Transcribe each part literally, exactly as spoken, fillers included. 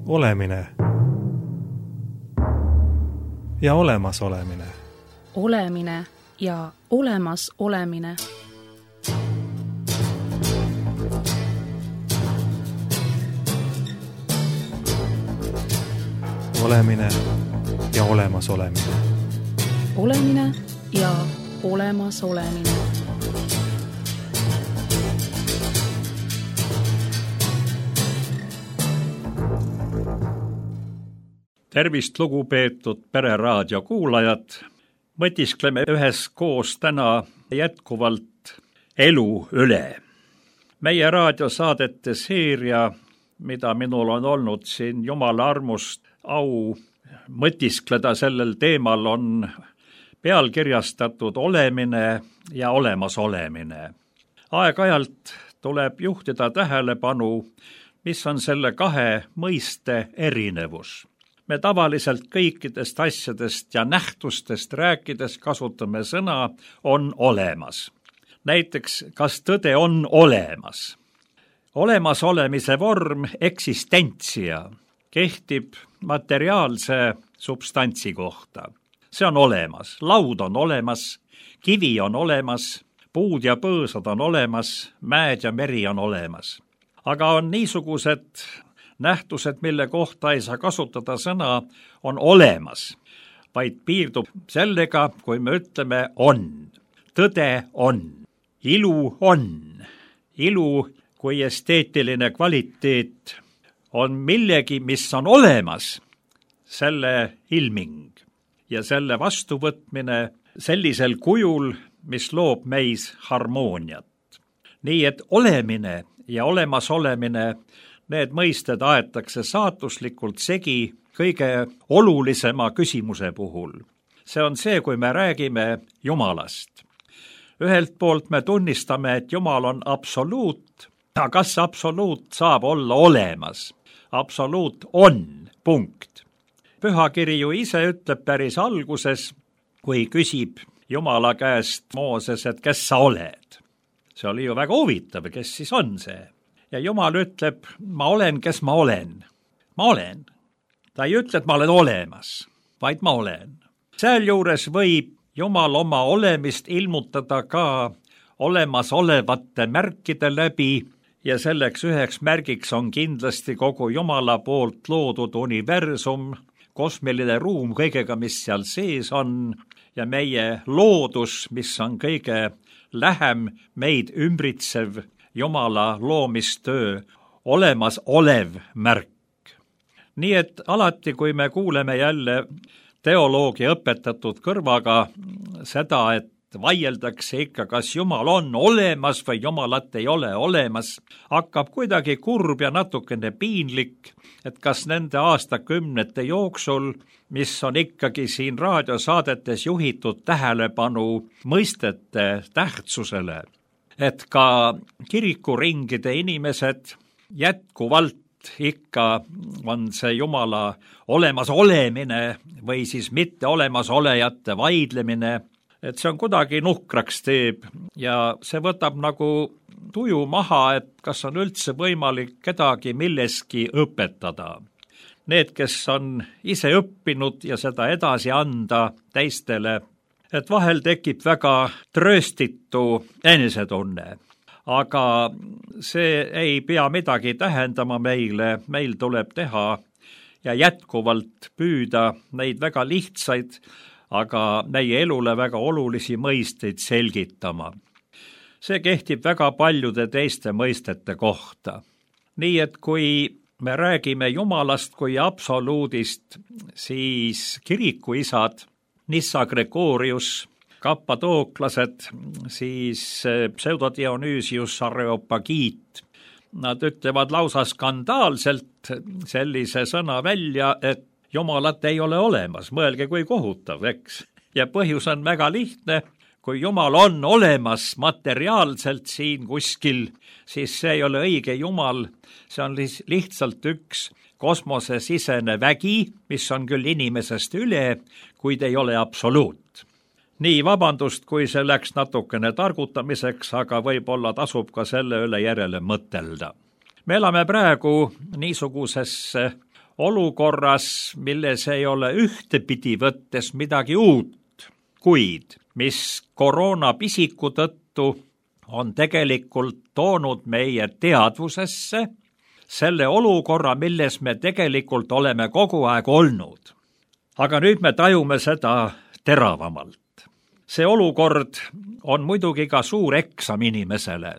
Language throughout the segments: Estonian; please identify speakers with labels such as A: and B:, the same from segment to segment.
A: Olemine ja olemas olemine.
B: Olemine ja olemas olemine.
A: Olemine ja olemas olemine.
B: Olemine ja olemas olemine.
C: Tervist, lugupeetud Pereraadio kuulajad! Mõtiskleme üheskoos täna jätkuvalt elu üle. Meie raadiosaadete seeria, mida minul on olnud siin Jumala armust au mõtiskleda sellel teemal, on pealkirjastatud Olemine ja olemas olemine. Aeg-ajalt tuleb juhtida tähelepanu, mis on selle kahe mõiste erinevus. Me tavaliselt kõikidest asjadest ja nähtustest rääkides kasutame sõna on olemas. Näiteks, kas tõde on olemas? Olemas olemise vorm eksistentsia kehtib materiaalse substantsi kohta. See on olemas, laud on olemas, kivi on olemas, puud ja põõsad on olemas, mäed ja meri on olemas. Aga on niisugused nähtused, mille kohta ei saa kasutada sõna on olemas, vaid piirdub sellega, kui me ütleme on. Tõde on. Ilu on. Ilu kui esteetiline kvaliteet on millegi, mis on olemas, selle ilming ja selle vastuvõtmine sellisel kujul, mis loob meis harmooniat. Nii et olemine ja olemas olemine, need mõisted aetakse saatuslikult segi kõige olulisema küsimuse puhul. See on see, kui me räägime Jumalast. Ühelt poolt me tunnistame, et Jumal on absoluut, aga kas absoluut saab olla olemas? Absoluut on, punkt. Pühakiri ju ise ütleb päris alguses, kui küsib Jumala käest Mooses, et kes sa oled? See oli ju väga huvitav, kes siis on see? Ja Jumal ütleb, ma olen, kes ma olen. Ma olen. Ta ei ütle, et ma olen olemas, vaid ma olen. Sealjuures võib Jumal oma olemist ilmutada ka olemasolevate märkide läbi ja selleks üheks märgiks on kindlasti kogu Jumala poolt loodud universum, kosmiline ruum kõigega, mis seal sees on ja meie loodus, mis on kõige lähem meid ümbritsev Jumala loomistöö olemas olev märk. Nii et alati, kui me kuuleme jälle teoloogia õpetatud kõrvaga seda, et vaieldakse ikka, kas Jumal on olemas või Jumalat ei ole olemas, hakkab kuidagi kurb ja natukene piinlik, et kas nende aastakümnete jooksul, mis on ikkagi siin raadiosaadetes juhitud tähelepanu mõistete tähtsusele, et ka kirikuringide inimesed jätkuvalt ikka on see Jumala olemas olemine või siis mitte olemas olejate vaidlemine, et see on kuidagi nuhkraks teeb ja see võtab nagu tuju maha, et kas on üldse võimalik kedagi milleski õpetada. Need, kes on ise õppinud ja seda edasi anda teistele, et vahel tekib väga trööstitu enesetunne. Aga see ei pea midagi tähendama meile, meil tuleb teha ja jätkuvalt püüda neid väga lihtsaid, aga meie elule väga olulisi mõisteid selgitama. See kehtib väga paljude teiste mõistete kohta. Nii et kui me räägime Jumalast kui absoluudist, siis kirikuisad Nissa Gregorius, kappadooklased, siis pseudodionüüsius Areopagiit. Nad ütlevad lausa skandaalselt sellise sõna välja, et Jumalat ei ole olemas, mõelge kui kohutav, eks. Ja põhjus on väga lihtne, kui Jumal on olemas materiaalselt siin kuskil, siis see ei ole õige Jumal, see on lihtsalt üks kosmosesisene vägi, mis on küll inimesest üle, kuid ei ole absoluut. Nii, vabandust, kui see läks natukene targutamiseks, aga võib-olla tasub ka selle üle järele mõtelda. Me elame praegu niisuguses olukorras, milles ei ole ühtepidi võttes midagi uut, kuid mis koroona pisiku tõttu on tegelikult toonud meie teadvusesse selle olukorra, milles me tegelikult oleme kogu aeg olnud. Aga nüüd me tajume seda teravamalt. See olukord on muidugi ka suur eksam inimesele.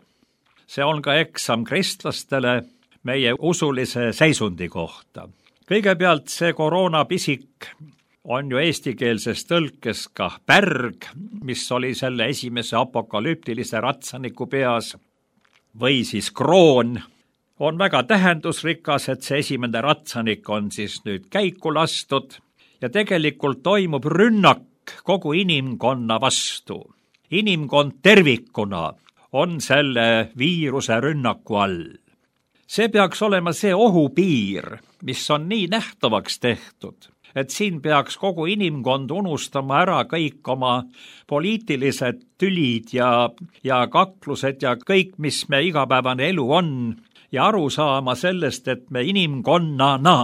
C: See on ka eksam kristlastele meie usulise seisundi kohta. Kõigepealt see koroonapisik on ju eestikeelses tõlkes ka pärg, mis oli selle esimese apokalüptilise ratsaniku peas, või siis kroon. On väga tähendusrikas, et see esimene ratsanik on siis nüüd käiku lastud ja tegelikult toimub rünnak kogu inimkonna vastu. Inimkond tervikuna on selle viiruse rünnaku all. See peaks olema see ohupiir, mis on nii nähtavaks tehtud, et siin peaks kogu inimkond unustama ära kõik oma poliitilised tülid ja, ja kaklused ja kõik, mis me igapäevane elu on, ja aru saama sellest, et me inimkonnana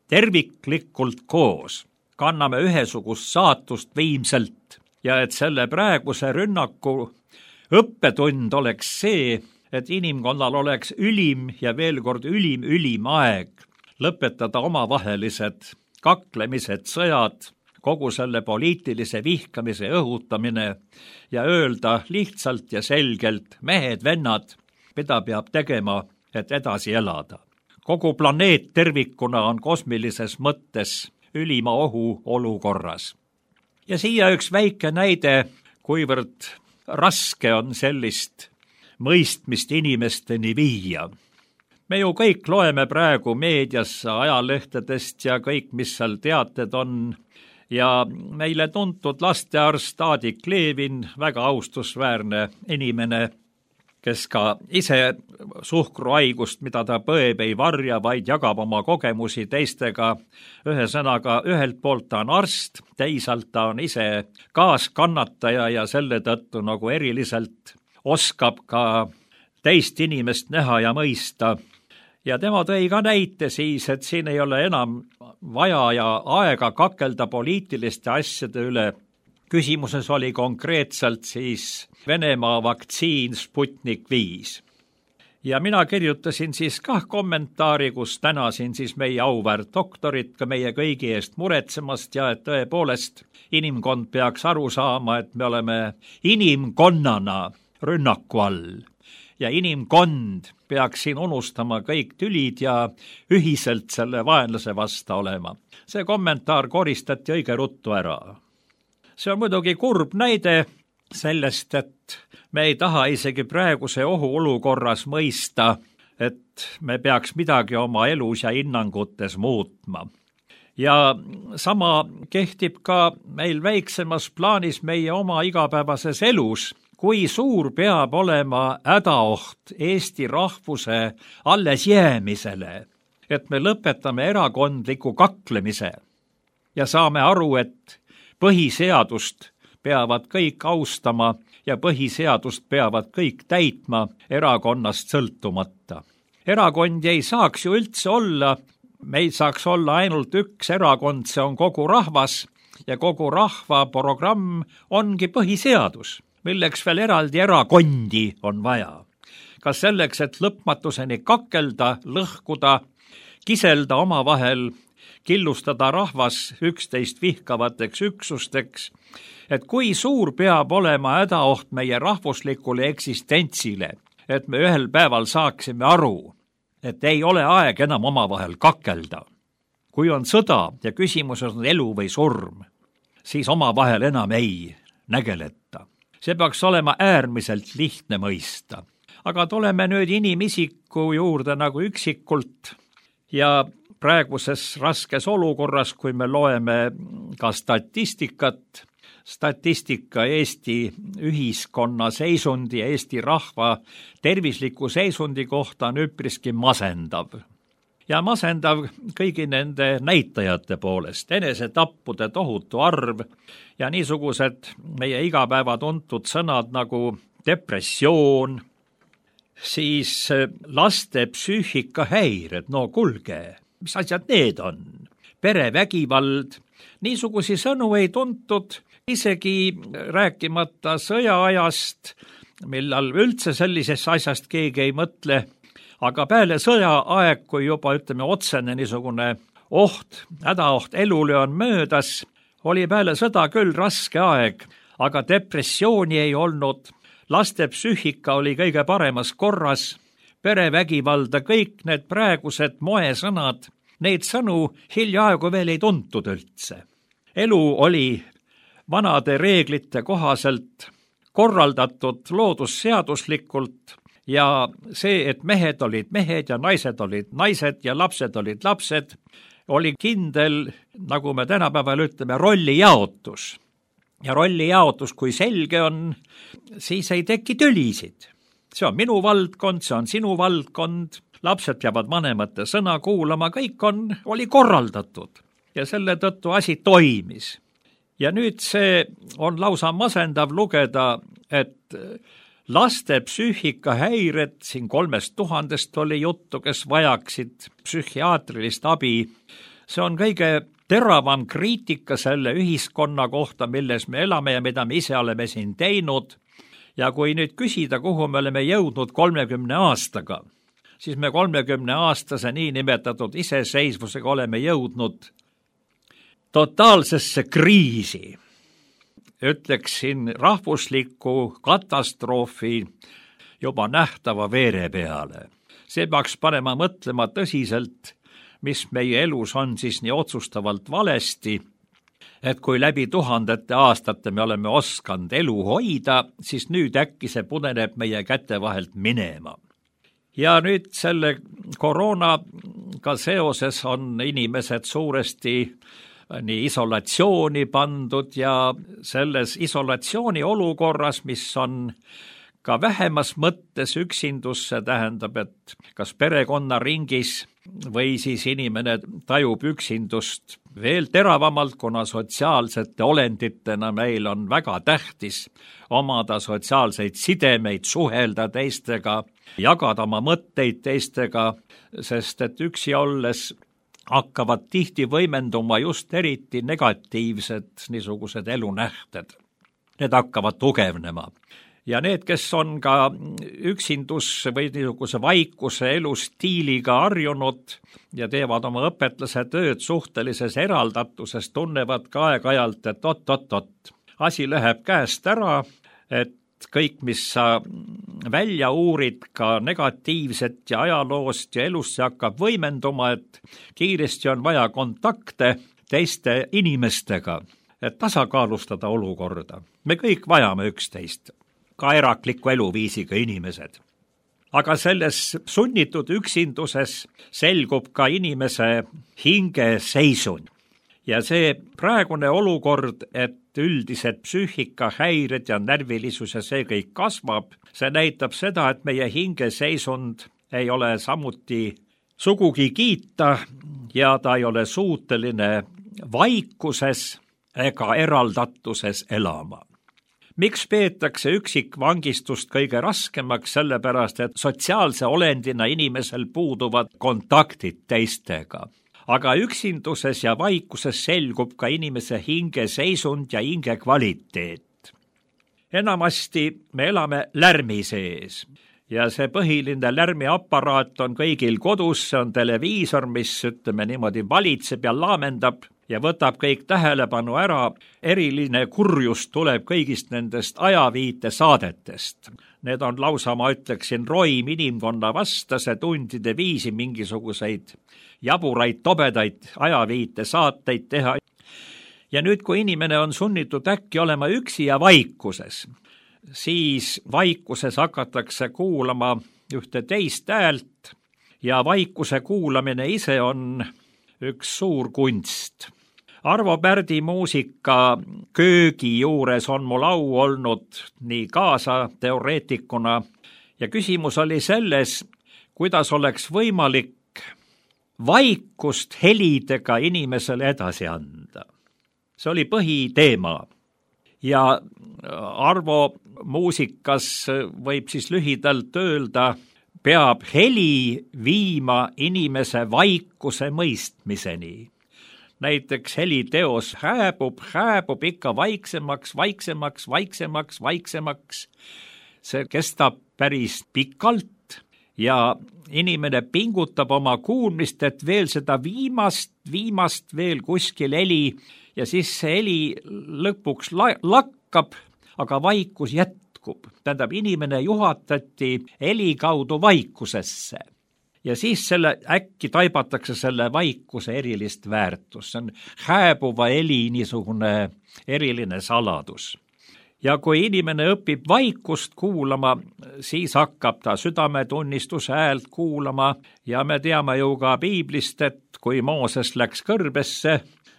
C: terviklikult koos kanname ühesugust saatust viimselt ja et selle praeguse rünnaku õppetund oleks see, et inimkonnal oleks ülim ja veel kord ülim, ülim aeg lõpetada omavahelised kaklemised, sõjad, kogu selle poliitilise vihkamise õhutamine ja öelda lihtsalt ja selgelt, mehed, vennad, mida peab tegema, et edasi elada. Kogu planeet tervikuna on kosmilises mõttes ülima ohu olukorras. Ja siia üks väike näide, kuivõrd raske on sellist mõistmist inimesteni viia. Me ju kõik loeme praegu meedias ajalehtedest ja kõik, mis seal teated on, ja meile tuntud lastearst Aadik Levin, väga austusväärne inimene, kes ka ise suhkruhaigust, mida ta põeb, ei varja, vaid jagab oma kogemusi teistega. Ühesõnaga, ühelt poolt ta on arst, teisalt ta on ise kaaskannataja ja selle tõttu nagu eriliselt oskab ka teist inimest näha ja mõista. Ja tema tõi ka näite siis, et siin ei ole enam vaja ja aega kakelda poliitiliste asjade üle. Küsimuses oli konkreetselt siis Venemaa vaktsiin Sputnik viis. Ja mina kirjutasin siis kah kommentaari, kus tänasin siis meie auväärt doktorit ka meie kõigi eest muretsemast ja et tõepoolest inimkond peaks aru saama, et me oleme inimkonnana rünnaku all ja inimkond peaks siin unustama kõik tülid ja ühiselt selle vaenlase vasta olema. See kommentaar koristati õige ruttu ära. See on muidugi kurb näide sellest, et me ei taha isegi praeguse ohu olukorras mõista, et me peaks midagi oma elus ja hinnangutes muutma. Ja sama kehtib ka meil väiksemas plaanis meie oma igapäevases elus, kui suur peab olema hädaoht Eesti rahvuse allesjäämisele, et me lõpetame erakondliku kaklemise ja saame aru, et põhiseadust peavad kõik austama ja põhiseadust peavad kõik täitma erakonnast sõltumata. Erakondi ei saaks ju üldse olla, meil saaks olla ainult üks erakond, see on kogu rahvas ja kogu rahva programm ongi põhiseadus, milleks veel eraldi erakondi on vaja. Kas selleks, et lõpmatuseni kakelda, lõhkuda, kiselda omavahel, killustada rahvas üksteist vihkavateks üksusteks, et kui suur peab olema hädaoht meie rahvuslikule eksistentsile, et me ühel päeval saaksime aru, et ei ole aeg enam omavahel kakelda. Kui on sõda ja küsimuses on elu või surm, siis omavahel enam ei nägeleta. See peaks olema äärmiselt lihtne mõista. Aga tuleme nüüd inimisiku juurde nagu üksikult ja praeguses raskes olukorras, kui me loeme ka statistikat, statistika Eesti ühiskonna seisundi ja Eesti rahva tervisliku seisundi kohta on üpriski masendav. Ja masendav kõigi nende näitajate poolest, enesetappude tohutu arv ja niisugused meie igapäeva tuntud sõnad nagu depressioon, siis laste psüühikahäired, no kulge, mis asjad need on? perevägivald. Niisugusi sõnu ei tuntud, isegi rääkimata sõjaajast, millal üldse sellisest asjast keegi ei mõtle, aga peale sõjaaeg, kui juba ütleme otsene niisugune oht, hädaoht elule on möödas, oli peale sõda küll raske aeg, aga depressiooni ei olnud, laste psüühika oli kõige paremas korras, perevägivalda, kõik need praegused moesõnad, neid sõnu hiljaaegu veel ei tuntud üldse. Elu oli vanade reeglite kohaselt korraldatud loodusseaduslikult ja see, et mehed olid mehed ja naised olid naised ja lapsed olid lapsed, oli kindel, nagu me tänapäeval ütleme, rollijaotus. Ja rollijaotus, kui selge on, siis ei teki tülisid. See on minu valdkond, see on sinu valdkond, lapsed peavad vanemate sõna kuulama, kõik on, oli korraldatud ja selle tõttu asi toimis. Ja nüüd see on lausa masendav lugeda, et laste psüühikahäired, siin kolmest tuhandest oli juttu, kes vajaksid psühhiaatrilist abi. See on kõige teravam kriitika selle ühiskonna kohta, milles me elame ja mida me ise oleme siin teinud. Ja kui nüüd küsida, kuhu me oleme jõudnud kolmekümne aastaga, siis me kolmekümne aastase niinimetatud iseseisvusega oleme jõudnud totaalsesse kriisi. Ütleksin rahvusliku katastroofi juba nähtava veere peale. See peaks panema mõtlema tõsiselt, mis meie elus on siis nii otsustavalt valesti, et kui läbi tuhandete aastate me oleme oskanud elu hoida, siis nüüd äkki see pudeneb meie käte vahelt minema. Ja nüüd selle koroonaga seoses on inimesed suuresti nii isolatsiooni pandud ja selles isolatsiooni olukorras, mis on ka vähemas mõttes üksindus, see tähendab, et kas perekonnaringis või siis inimene tajub üksindust veel teravamalt, kuna sotsiaalsete olenditena meil on väga tähtis omada sotsiaalseid sidemeid, suhelda teistega, jagada oma mõtteid teistega, sest et üksi olles hakkavad tihti võimenduma just eriti negatiivsed niisugused elunähted. Need hakkavad tugevnema. Ja need, kes on ka üksindus või niisuguse vaikuse elustiiliga harjunud ja teevad oma õpetlase tööd suhtelises eraldatuses, tunnevad ka aeg-ajalt, et ot-ot-ot, asi läheb käest ära, et kõik, mis sa välja uurid ka negatiivset ja ajaloost ja elust, see hakkab võimenduma, et kiiresti on vaja kontakte teiste inimestega, et tasakaalustada olukorda. Me kõik vajame üksteist, ka erakliku eluviisiga inimesed. Aga selles sunnitud üksinduses selgub ka inimese hingeseisund. Ja see praegune olukord, et üldised psüühikahäired ja närvilisus ja see kõik kasvab, see näitab seda, et meie hingeseisund ei ole samuti sugugi kiita ja ta ei ole suuteline vaikuses ega eraldatuses elama. Miks peetakse üksikvangistust kõige raskemaks? Sellepärast, et sotsiaalse olendina inimesel puuduvad kontaktid teistega. Aga üksinduses ja vaikuses selgub ka inimese hingeseisund ja hinge kvaliteet. Enamasti me elame lärmi sees ja see põhiline lärmiaparaat on kõigil kodus, see on televiisor, mis ütleme niimoodi valitseb ja laamendab ja võtab kõik tähelepanu ära. Eriline kurjus tuleb kõigist nendest ajaviite saadetest. Need on lausa, ma ütleksin, roim inimkonna vastase tundide viisi mingisuguseid jaburaid, tobedaid ajaviite saateid teha. Ja nüüd, kui inimene on sunnitud äkki olema üksi ja vaikuses, siis vaikuses hakatakse kuulama ühte teist häält ja vaikuse kuulamine ise on üks suur kunst. Arvo Pärdi muusika köögi juures on mul au olnud nii kaasa teoreetikuna ja küsimus oli selles, kuidas oleks võimalik vaikust helidega inimesele edasi anda. See oli põhiteema ja Arvo muusikas võib siis lühidalt öelda, peab heli viima inimese vaikuse mõistmiseni. näiteks heliteos hääbub, hääbub ikka vaiksemaks, vaiksemaks, vaiksemaks, vaiksemaks. See kestab päris pikalt ja inimene pingutab oma kuulmist, et veel seda viimast, viimast veel kuskil heli ja siis see heli lõpuks la- lakkab, aga vaikus jätkub. Tähendab, inimene juhatati heli kaudu vaikusesse. Ja siis selle äkki taibatakse selle vaikuse erilist väärtust. See on hääbuva heli niisugune eriline saladus. Ja kui inimene õpib vaikust kuulama, siis hakkab ta südametunnistuse häält kuulama ja me teame ju ka piiblist, et kui Mooses läks kõrbesse,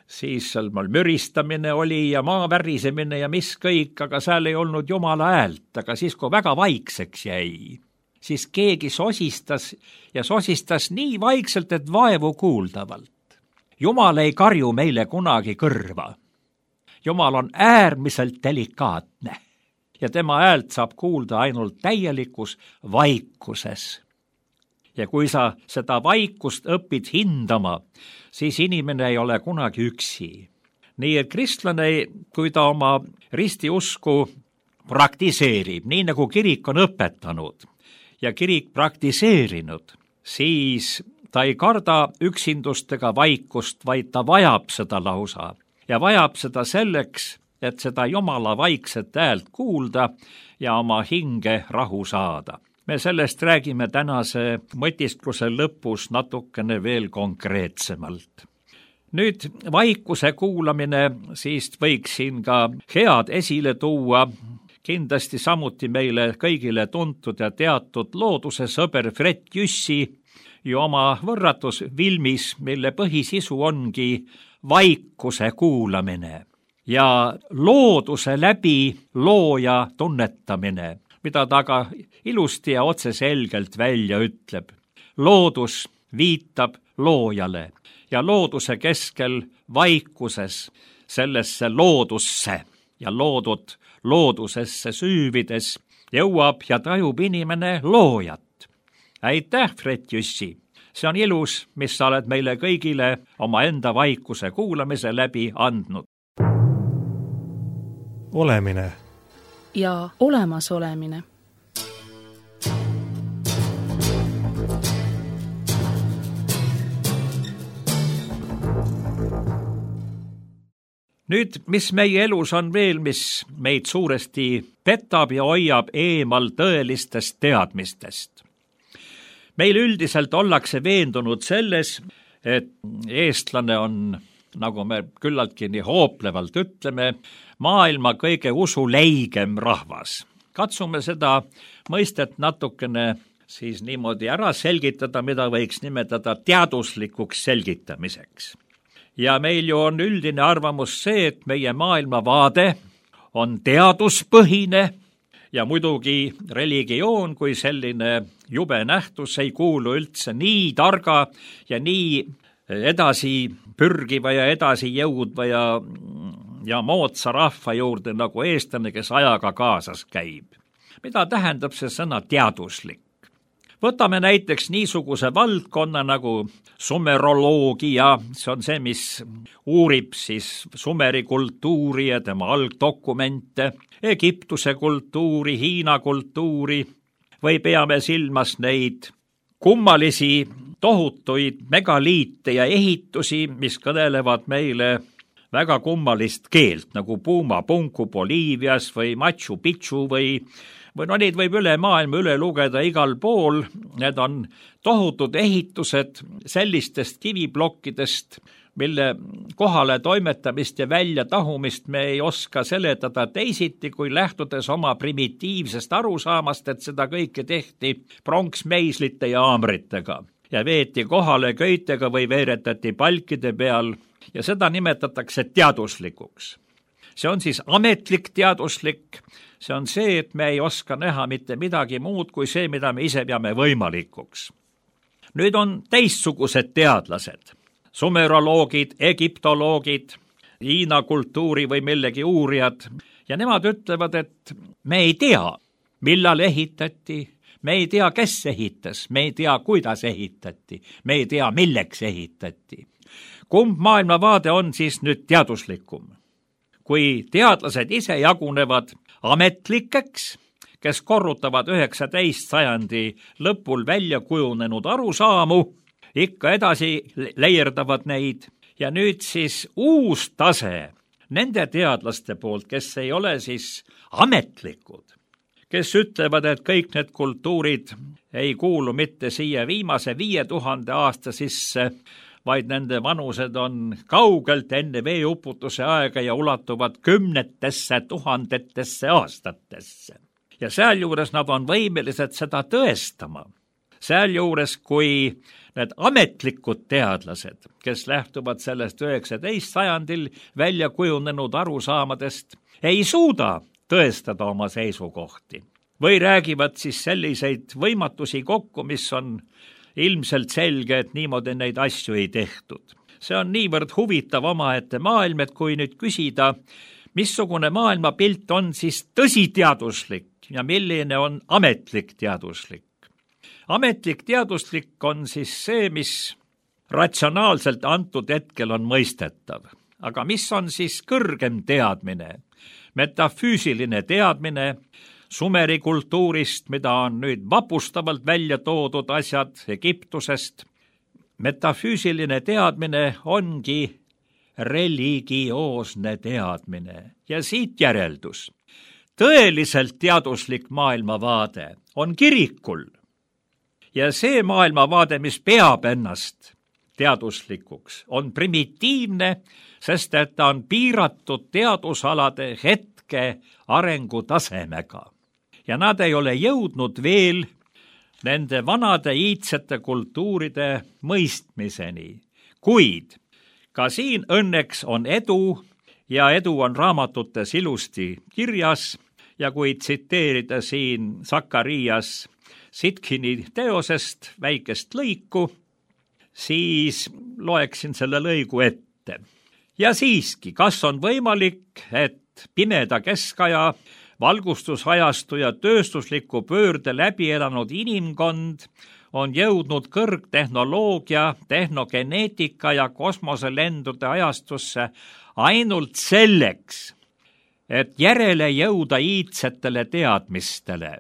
C: siis seal müristamine oli ja maa värisemine ja mis kõik, aga seal ei olnud Jumala häält, aga siis kui väga vaikseks jäi, siis keegi sosistas ja sosistas nii vaikselt, et vaevu kuuldavalt. Jumal ei karju meile kunagi kõrva. Jumal on äärmiselt delikaatne ja tema häält saab kuulda ainult täielikus vaikuses. Ja kui sa seda vaikust õpid hindama, siis inimene ei ole kunagi üksi. Nii et kristlane, kui ta oma ristiusku praktiseerib, nii nagu kirik on õpetanud ja kirik praktiseerinud, siis ta ei karda üksindust ega vaikust, vaid ta vajab seda lausa. Ja vajab seda selleks, et seda Jumala vaikset häält kuulda ja oma hinge rahu saada. Me sellest räägime tänase mõtiskluse lõpus natukene veel konkreetsemalt. Nüüd vaikuse kuulamine, siis võiks siin ka head esile tuua, kindlasti samuti meile kõigile tuntud ja teatud looduse sõber Fred Jüssi ju oma võrratus Vilmis, mille põhisisu ongi vaikuse kuulamine ja looduse läbi looja tunnetamine, mida ta ka ilusti ja otseselgelt välja ütleb. Loodus viitab loojale ja looduse keskel vaikuses sellesse loodusse ja loodud loodusesse süüvides jõuab ja tajub inimene loojat. Aitäh, Fred Jüssi! See on ilus, mis sa oled meile kõigile oma enda vaikuse kuulamise läbi andnud.
A: Olemine
B: ja olemasolemine.
C: Nüüd, mis meie elus on veel, mis meid suuresti petab ja hoiab eemal tõelistest teadmistest. Meil üldiselt ollakse veendunud selles, et eestlane on, nagu me küllaltki nii hooplevalt ütleme, maailma kõige usuleigem rahvas. Katsume seda mõistet natukene siis niimoodi ära selgitada, mida võiks nimetada teaduslikuks selgitamiseks. Ja meil ju on üldine arvamus see, et meie maailmavaade on teaduspõhine ja muidugi religioon kui selline jube nähtus ei kuulu üldse nii targa ja nii edasi pürgiva ja edasi jõudva ja, ja moodsa rahva juurde nagu eestlane, kes ajaga kaasas käib. Mida tähendab see sõna teaduslik? Võtame näiteks niisuguse valdkonna nagu sumeroloogia, see on see, mis uurib siis Sumeri kultuuri ja tema algdokumente, Egiptuse kultuuri, Hiina kultuuri, või peame silmas neid kummalisi tohutuid megaliite ja ehitusi, mis kõnelevad meile väga kummalist keelt, nagu Puma Punku Boliivias või Machu Picchu või või no neid võib üle maailma üle lugeda igal pool. Need on tohutud ehitused sellistest kiviplokkidest, mille kohale toimetamist ja välja tahumist me ei oska seletada teisiti, kui lähtudes oma primitiivsest arusaamast, et seda kõike tehti pronksmeislite ja haamritega ja veeti kohale köitega või veeretati palkide peal ja seda nimetatakse teaduslikuks. See on siis ametlik teaduslik, see on see, et me ei oska näha mitte midagi muud kui see, mida me ise peame võimalikuks. Nüüd on teistsugused teadlased, sumeroloogid, egiptoloogid, Hiina kultuuri või millegi uurijad ja nemad ütlevad, et me ei tea, millal ehitati, me ei tea, kes ehitas, me ei tea, kuidas ehitati, me ei tea, milleks ehitati. Kumb maailmavaade on siis nüüd teaduslikum? Kui teadlased ise jagunevad ametlikeks, kes korrutavad üheksateist sajandi lõpul välja kujunenud arusaamu, ikka edasi leierdavad neid, ja nüüd siis uus tase nende teadlaste poolt, kes ei ole siis ametlikud, kes ütlevad, et kõik need kultuurid ei kuulu mitte siia viimase viie tuhande aasta sisse, vaid nende vanused on kaugelt enne veeuputuse aega ja ulatuvad kümnetesse tuhandetesse aastatesse. Ja sealjuures nad on võimelised seda tõestama. Sealjuures, kui need ametlikud teadlased, kes lähtuvad sellest üheksateist sajandil välja kujunenud arusaamadest, ei suuda tõestada oma seisukohti või räägivad siis selliseid võimatusi kokku, mis on ilmselt selge, et niimoodi neid asju ei tehtud. See on niivõrd huvitav omaette maailm, et kui nüüd küsida, missugune maailmapilt on siis tõsiteaduslik ja milline on ametlik teaduslik. Ametlik teaduslik on siis see, mis ratsionaalselt antud hetkel on mõistetav. Aga mis on siis kõrgem teadmine? Metafüüsiline teadmine Sumeri kultuurist, mida on nüüd vapustavalt välja toodud asjad Egiptusest. Metafüüsiline teadmine ongi religioosne teadmine ja siit järeldus. Tõeliselt teaduslik maailmavaade on kirikul ja see maailmavaade, mis peab ennast teaduslikuks, on primitiivne, sest et ta on piiratud teadusalade hetke arengutasemega. Ja nad ei ole jõudnud veel nende vanade iidsete kultuuride mõistmiseni. Kuid ka siin õnneks on edu ja edu on raamatutes ilusti kirjas ja kui tsiteerida siin Sakarias Sitkini teosest väikest lõiku, siis loeksin selle lõigu ette. Ja siiski, kas on võimalik, et pimeda keskaja, valgustusajastu ja tööstusliku pöörde läbi elanud inimkond on jõudnud kõrgtehnoloogia, tehnogeneetika ja kosmoselendude ajastusse ainult selleks, et järele jõuda iidsetele teadmistele.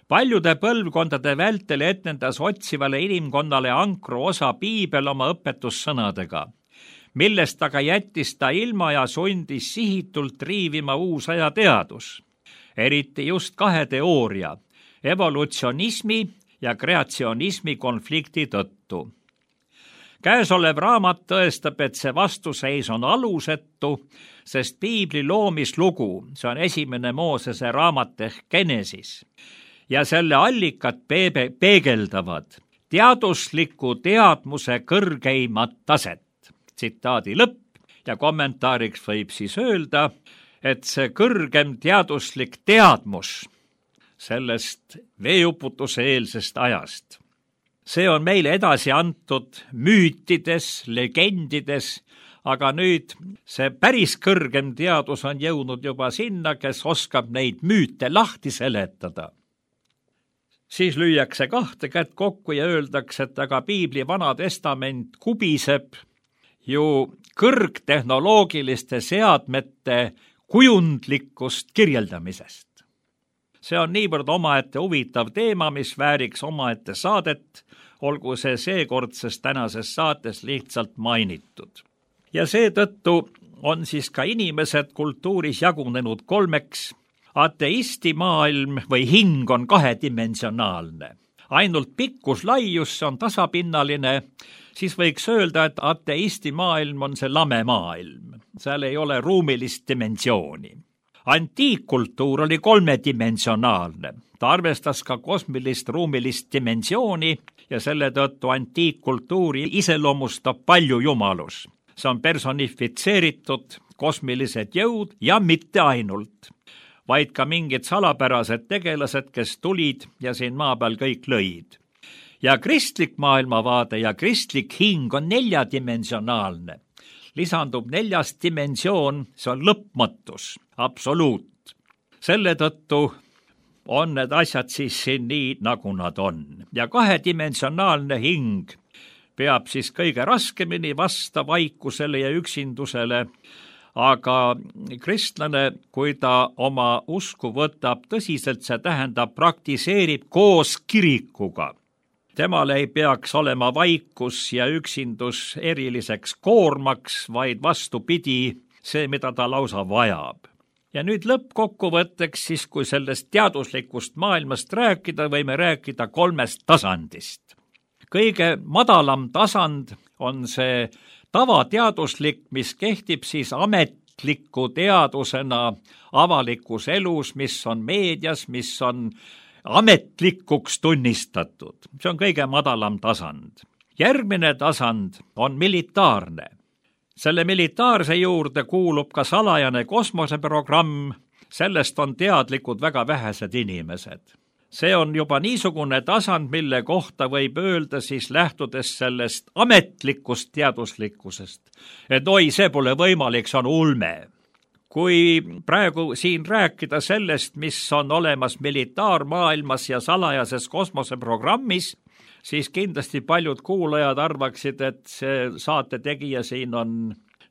C: Paljude põlvkondade vältel etnendas otsivale inimkonnale ankru osa piibel oma õpetussõnadega, millest aga jättis ta ilma ja sundis sihitult riivima uusaja teadus, eriti just kahe teooria, evolutsionismi ja kreatsionismi konflikti tõttu. Käesolev raamat tõestab, et see vastuseis on alusetu, sest piibli loomislugu, see on esimene Moosese raamat ehk Genesis, ja selle allikad peebe, peegeldavad teadusliku teadmuse kõrgeimat taset. Tsitaadi lõpp ja kommentaariks võib siis öelda, et see kõrgem teaduslik teadmus sellest veeuputuse eelsest ajast, see on meile edasi antud müütides, legendides, aga nüüd see päris kõrgem teadus on jõudnud juba sinna, kes oskab neid müüte lahti seletada. Siis lüüakse kahte kätt kokku ja öeldakse, et aga piibli vana testament kubiseb ju kõrgtehnoloogiliste seadmete kujundlikust kirjeldamisest. See on niivõrd omaette huvitav teema, mis vääriks omaette saadet, olgu see seekordses tänases saates lihtsalt mainitud. Ja seetõttu on siis ka inimesed kultuuris jagunenud kolmeks. Ateisti maailm või hing on kahedimensionaalne. Ainult pikkus laius on tasapinnaline, siis võiks öelda, et ateisti maailm on see lame maailm. Seal ei ole ruumilist dimensiooni. Antiikkultuur oli kolmedimensionaalne. Ta arvestas ka kosmilist ruumilist dimensiooni ja selle tõttu antiikkultuuri iseloomustab palju jumalus. See on personifitseeritud kosmilised jõud ja mitte ainult, vaid ka mingid salapärased tegelased, kes tulid ja siin maa peal kõik lõid. Ja kristlik maailmavaade ja kristlik hing on neljadimensionaalne. Lisandub neljas dimensioon, see on lõpmatus, absoluut. Selle tõttu on need asjad siis siin nii, nagu nad on. Ja kahedimensionaalne hing peab siis kõige raskemini vasta vaikusele ja üksindusele, aga kristlane, kui ta oma usku võtab tõsiselt, see tähendab, praktiseerib koos kirikuga. Temal ei peaks olema vaikus ja üksindus eriliseks koormaks, vaid vastupidi, see, mida ta lausa vajab. Ja nüüd lõppkokkuvõtteks siis, kui sellest teaduslikust maailmast rääkida, võime rääkida kolmest tasandist. Kõige madalam tasand on see tavateaduslik, mis kehtib siis ametliku teadusena avalikus elus, mis on meedias, mis on ametlikuks tunnistatud. See on kõige madalam tasand. Järgmine tasand on militaarne. Selle militaarse juurde kuulub ka salajane kosmoseprogramm, sellest on teadlikud väga vähesed inimesed. See on juba niisugune tasand, mille kohta võib öelda siis lähtudes sellest ametlikust teaduslikkusest, et oi, see pole võimalik, see on ulme. Kui praegu siin rääkida sellest, mis on olemas militaarmaailmas ja salajases kosmoseprogrammis, siis kindlasti paljud kuulajad arvaksid, et see saate tegija siin on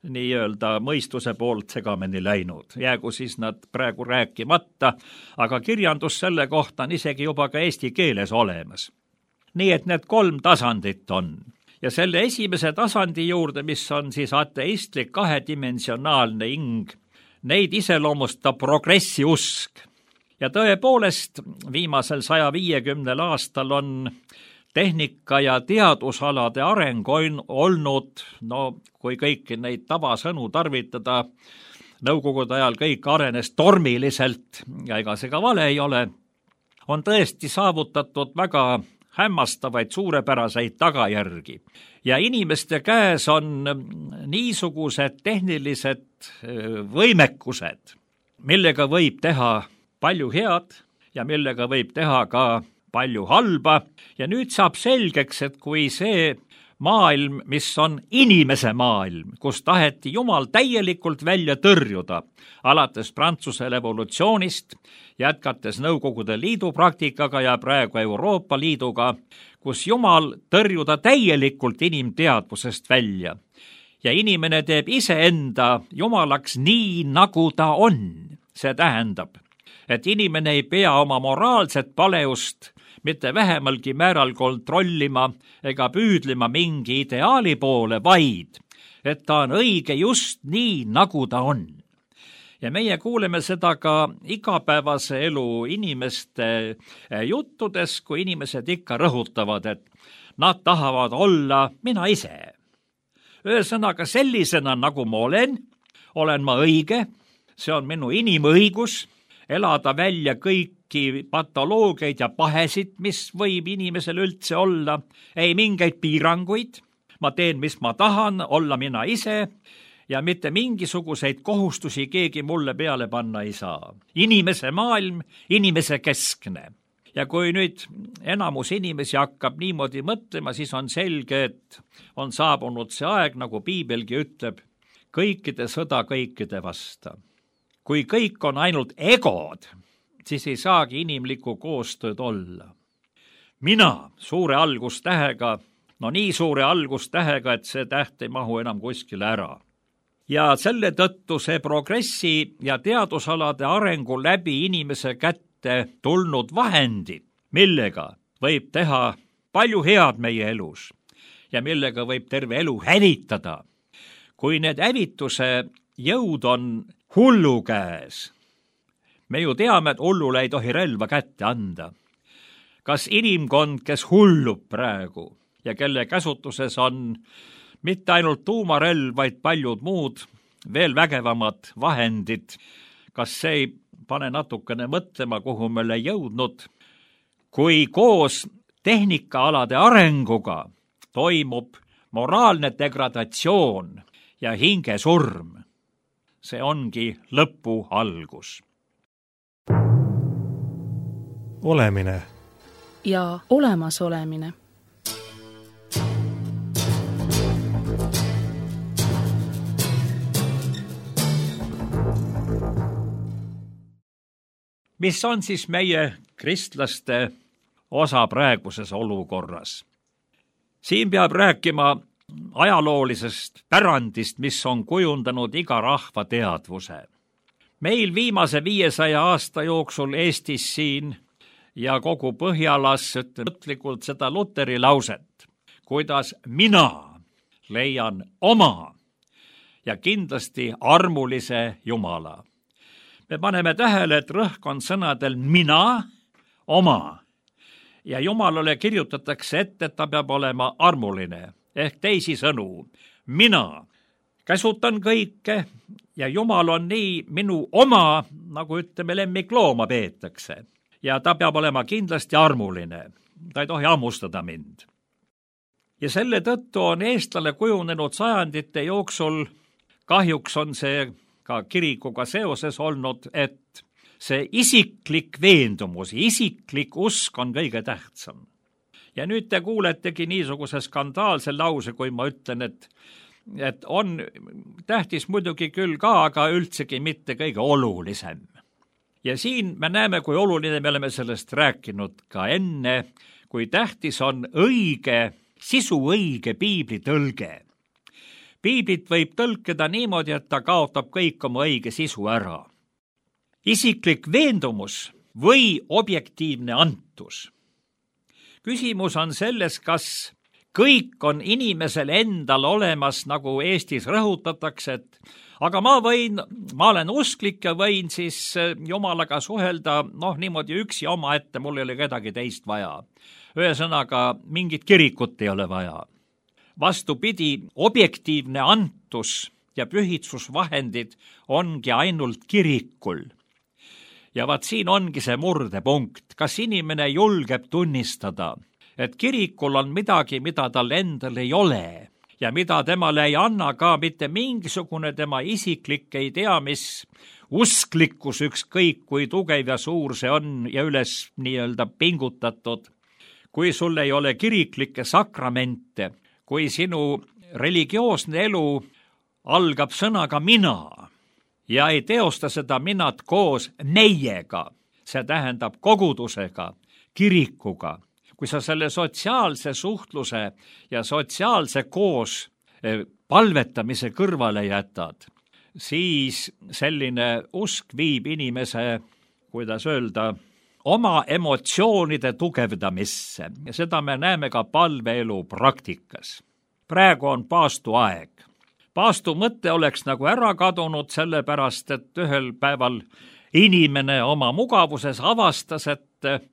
C: nii-öelda mõistuse poolt segamini läinud. Jäägu siis nad praegu rääkimata, aga kirjandus selle kohta on isegi juba ka eesti keeles olemas. Nii et need kolm tasandit on. Ja selle esimese tasandi juurde, mis on siis ateistlik kahedimensionaalne hing, neid iseloomustab progressi usk. Ja tõepoolest viimasel saja viiekümnel aastal on tehnika ja teadusalade areng on olnud, no kui kõiki neid tavasõnu tarvitada, nõukogude ajal kõik arenes tormiliselt ja ega see ka vale ei ole, on tõesti saavutatud väga hämmastavaid suurepäraseid tagajärgi. Ja inimeste käes on niisugused tehnilised võimekused, millega võib teha palju head ja millega võib teha ka palju halba. Ja nüüd saab selgeks, et kui see maailm, mis on inimese maailm, kus taheti Jumal täielikult välja tõrjuda, alates Prantsuse revolutsioonist, jätkates Nõukogude Liidu praktikaga ja praegu Euroopa Liiduga, kus Jumal tõrjuda täielikult inimteadvusest välja. Ja inimene teeb iseenda Jumalaks nii, nagu ta on. See tähendab, et inimene ei pea oma moraalset paleust mitte vähemalgi määral kontrollima ega püüdlema mingi ideaali poole, vaid et ta on õige just nii, nagu ta on. Ja meie kuuleme seda ka igapäevase elu inimeste juttudes, kui inimesed ikka rõhutavad, et nad tahavad olla mina ise. Ühesõnaga sellisena, nagu ma olen, olen ma õige, see on minu inimõigus, elada välja kõiki patoloogiaid ja pahesid, mis võib inimesel üldse olla, ei mingeid piiranguid, ma teen, mis ma tahan, olla mina ise ja mitte mingisuguseid kohustusi keegi mulle peale panna ei saa. Inimese maailm, inimese keskne. Ja kui nüüd enamus inimesi hakkab niimoodi mõtlema, siis on selge, et on saabunud see aeg, nagu piibelgi ütleb, kõikide sõda kõikide vasta. Kui kõik on ainult egod, siis ei saagi inimlikku koostööd olla. Mina suure algustähega, no nii suure algustähega, et see täht ei mahu enam kuskile ära. Ja selle tõttu see progressi ja teadusalade arengu läbi inimese kätte tulnud vahendid, millega võib teha palju head meie elus ja millega võib terve elu hävitada. Kui need hävituse jõud on hullu käes, me ju teame, et hullule ei tohi relva kätte anda. Kas inimkond, kes hullub praegu ja kelle käsutuses on mitte ainult tuumarelv, vaid paljud muud veel vägevamad vahendid, kas see ei pane natukene mõtlema, kuhu me oleme jõudnud, kui koos tehnikaalade arenguga toimub moraalne degradatsioon ja hingesurm. See ongi lõpu algus.
A: Olemine
B: ja olemasolemine.
C: Mis on siis meie kristlaste osa praeguses olukorras. Siin peab rääkima ajaloolisest pärandist, mis on kujundanud iga rahva teadvuse. Meil viimase viiesaja aasta jooksul Eestis siin ja kogu Põhjalas ütleme mõtlikult seda Luteri lauset, kuidas mina leian oma ja kindlasti armulise Jumala. Me paneme tähele, et rõhk on sõnadel mina, oma. Ja Jumalale kirjutatakse ette, et ta peab olema armuline, ehk teisisõnu, mina käsutan kõike ja Jumal on nii minu oma, nagu ütleme, lemmiklooma peetakse. Ja ta peab olema kindlasti armuline, ta ei tohi hammustada mind. Ja selle tõttu on eestlane kujunenud sajandite jooksul, kahjuks on see ka kirikuga seoses olnud, et see isiklik veendumus, isiklik usk on kõige tähtsam. Ja nüüd te kuuletegi niisuguse skandaalse lause, kui ma ütlen, et, et on tähtis muidugi küll ka, aga üldsegi mitte kõige olulisem. Ja siin me näeme, kui oluline me oleme sellest rääkinud ka enne, kui tähtis on õige, sisuõige piibli tõlge. Piiblit võib tõlkida niimoodi, et ta kaotab kõik oma õige sisu ära. Isiklik veendumus või objektiivne antus. Küsimus on selles, kas kõik on inimesel endal olemas, nagu Eestis rõhutatakse, et aga ma võin, ma olen usklik ja võin siis Jumalaga suhelda, noh niimoodi üksi oma ette, mul ei ole kedagi teist vaja. Ühesõnaga, mingit kirikut ei ole vaja. Vastupidi, objektiivne antus ja pühitsusvahendid ongi ainult kirikul. Ja vaat siin ongi see murdepunkt, kas inimene julgeb tunnistada, et kirikul on midagi, mida tal endal ei ole ja mida temale ei anna ka mitte mingisugune tema isiklik ei tea, mis usklikkus ükskõik, kui tugev ja suur see on ja üles nii-öelda pingutatud. Kui sul ei ole kiriklikke sakramente, kui sinu religioosne elu algab sõnaga mina ja ei teosta seda minat koos meiega, see tähendab kogudusega, kirikuga, kui sa selle sotsiaalse suhtluse ja sotsiaalse koos palvetamise kõrvale jätad, siis selline usk viib inimese, kuidas öelda, oma emotsioonide tugevdamisse ja seda me näeme ka palveelu praktikas. Praegu on paastu aeg. Paastu mõte oleks nagu ära kadunud sellepärast, et ühel päeval inimene oma mugavuses avastas, et,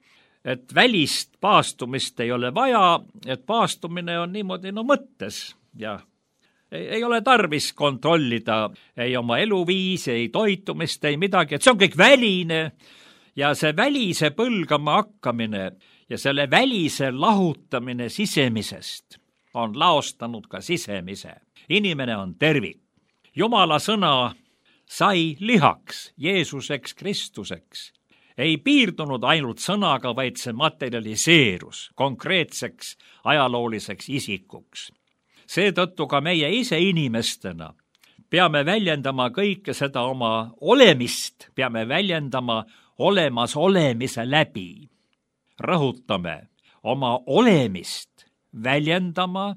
C: et välist paastumist ei ole vaja, et paastumine on niimoodi no mõttes ja ei, ei ole tarvis kontrollida ei oma eluviisi, ei toitumist, ei midagi, et see on kõik väline. Ja see välise põlgama hakkamine ja selle välise lahutamine sisemisest on laostanud ka sisemise. Inimene on tervik. Jumala sõna sai lihaks, Jeesuseks, Kristuseks. Ei piirdunud ainult sõnaga, vaid see materialiseerus konkreetseks ajalooliseks isikuks. Seetõttu ka meie ise inimestena peame väljendama kõike seda oma olemist, peame väljendama olemas olemise läbi. Rõhutame oma olemist väljendama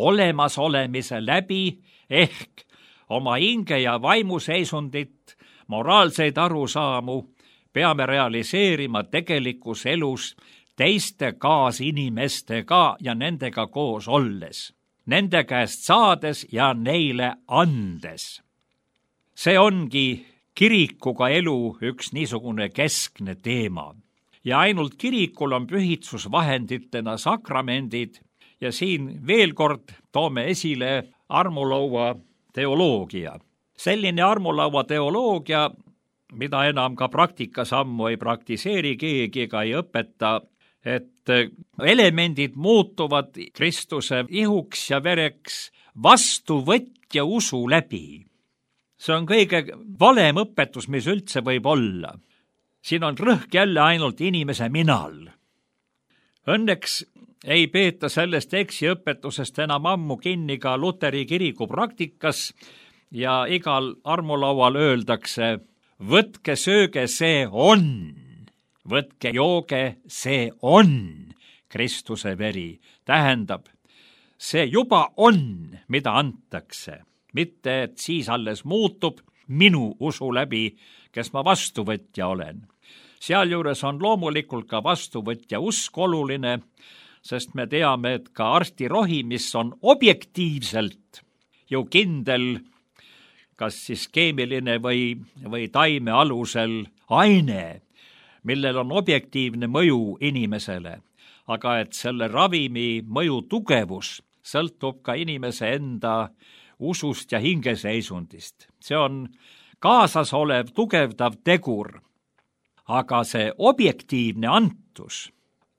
C: olemas olemise läbi ehk oma hinge ja vaimuseisundit, moraalseid arusaamu peame realiseerima tegelikus elus teiste kaasinimestega ja nendega koos olles, nende käest saades ja neile andes. See ongi kirikuga elu üks niisugune keskne teema ja ainult kirikul on pühitsusvahenditena sakramendid ja siin veel kord toome esile armulaua teoloogia. Selline armulaua teoloogia, mida enam ka praktikas ammu ei praktiseeri keegi ega ei õpeta, et elemendid muutuvad Kristuse ihuks ja vereks vastuvõtja usu läbi. See on kõige valem õpetus, mis üldse võib olla. Siin on rõhk jälle ainult inimese minal. Õnneks ei peeta sellest eksiõpetusest enam ammu kinni ka Luteri kiriku praktikas ja igal armulaual öeldakse, võtke sööge, see on, võtke, jooge, see on Kristuse veri. Tähendab, see juba on, mida antakse. Mitte, et siis alles muutub minu usu läbi, kes ma vastuvõtja olen. Sealjuures on loomulikult ka vastuvõtja usk oluline, sest me teame, et ka arstirohi, mis on objektiivselt ju kindel, kas siis keemiline või, või taime alusel aine, millel on objektiivne mõju inimesele, aga et selle ravimi mõju tugevus sõltub ka inimese enda usust ja hingeseisundist. See on kaasas olev tugevdav tegur, aga see objektiivne antus,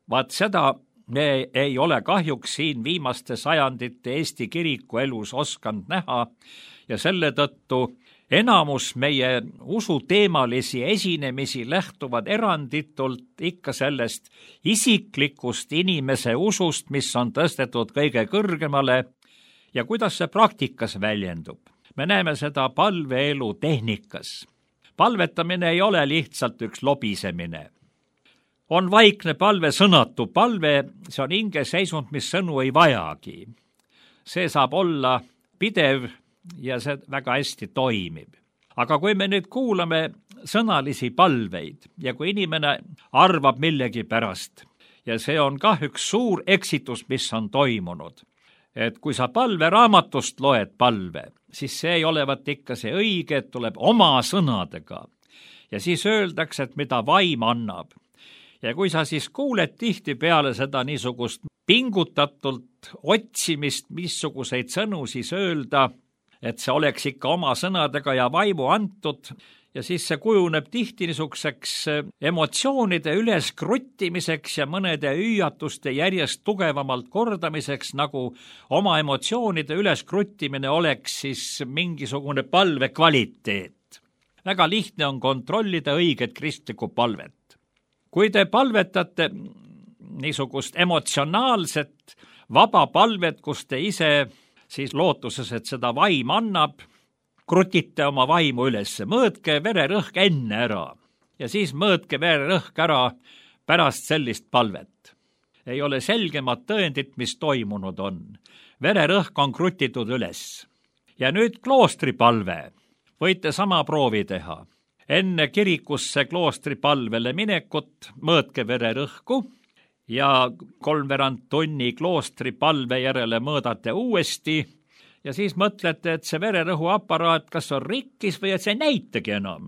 C: vaat seda me ei ole kahjuks siin viimaste sajandite Eesti kiriku elus oskanud näha ja selle tõttu enamus meie usuteemalisi esinemisi lähtuvad eranditult ikka sellest isiklikust inimese usust, mis on tõstetud kõige kõrgemale ja kuidas see praktikas väljendub. Me näeme seda palveelu tehnikas. Palvetamine ei ole lihtsalt üks lobisemine. On vaikne palve, sõnatu palve, see on hingeseisund, mis sõnu ei vajagi. See saab olla pidev ja see väga hästi toimib. Aga kui me nüüd kuulame sõnalisi palveid ja kui inimene arvab millegi pärast, ja see on kah üks suur eksitus, mis on toimunud, et kui sa palveraamatust loed palve, siis see ei olevat ikka see õige, et tuleb oma sõnadega. Ja siis öeldakse, et mida vaim annab. Ja kui sa siis kuuled tihti peale seda niisugust pingutatult otsimist, missuguseid sõnu siis öelda, et see oleks ikka oma sõnadega ja vaimu antud, ja siis see kujuneb tihti niisuguseks emotsioonide üleskruttimiseks ja mõnede hüüatuste järjest tugevamalt kordamiseks, nagu oma emotsioonide üleskruttimine oleks siis mingisugune palve kvaliteet. Väga lihtne on kontrollida õiget kristlikku palvet. Kui te palvetate niisugust emotsionaalset vaba palvet, kus te ise siis lootuses, et seda vaim annab, krutite oma vaimu üles, mõõtke vererõhk enne ära ja siis mõõtke vererõhk ära pärast sellist palvet. Ei ole selgemat tõendit, mis toimunud on. Vererõhk on krutitud üles. Ja nüüd kloostripalve. Võite sama proovi teha. Enne kirikusse kloostripalvele minekut mõõtke vererõhku ja kolmveerand tunni kloostripalve järele mõõdate uuesti ja siis mõtlete, et see vererõhuaparaat kas on rikkis või et see ei näitagi enam.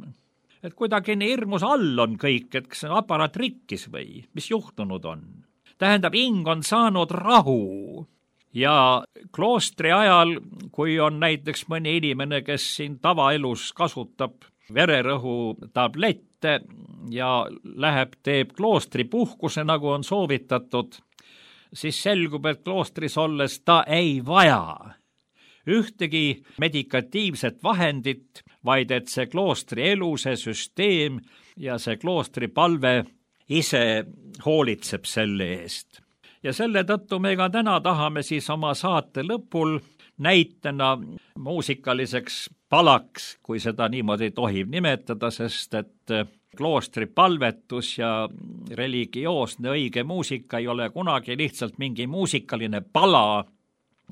C: Et kuidagi nii hirmus all on kõik, et kas see aparaat rikkis või mis juhtunud on. Tähendab, hing on saanud rahu ja kloostri ajal, kui on näiteks mõni inimene, kes siin tavaelus kasutab vererõhu tablette ja läheb, teeb kloostri puhkuse, nagu on soovitatud, siis selgub, et kloostris olles ta ei vaja ühtegi medikatiivset vahendit, vaid et see kloostri elu, see süsteem ja see kloostri palve ise hoolitseb selle eest. Ja selle tõttu me ka täna tahame siis oma saate lõpul näitena muusikaliseks palaks, kui seda niimoodi tohib nimetada, sest et kloostri palvetus ja religioosne õige muusika ei ole kunagi lihtsalt mingi muusikaline pala.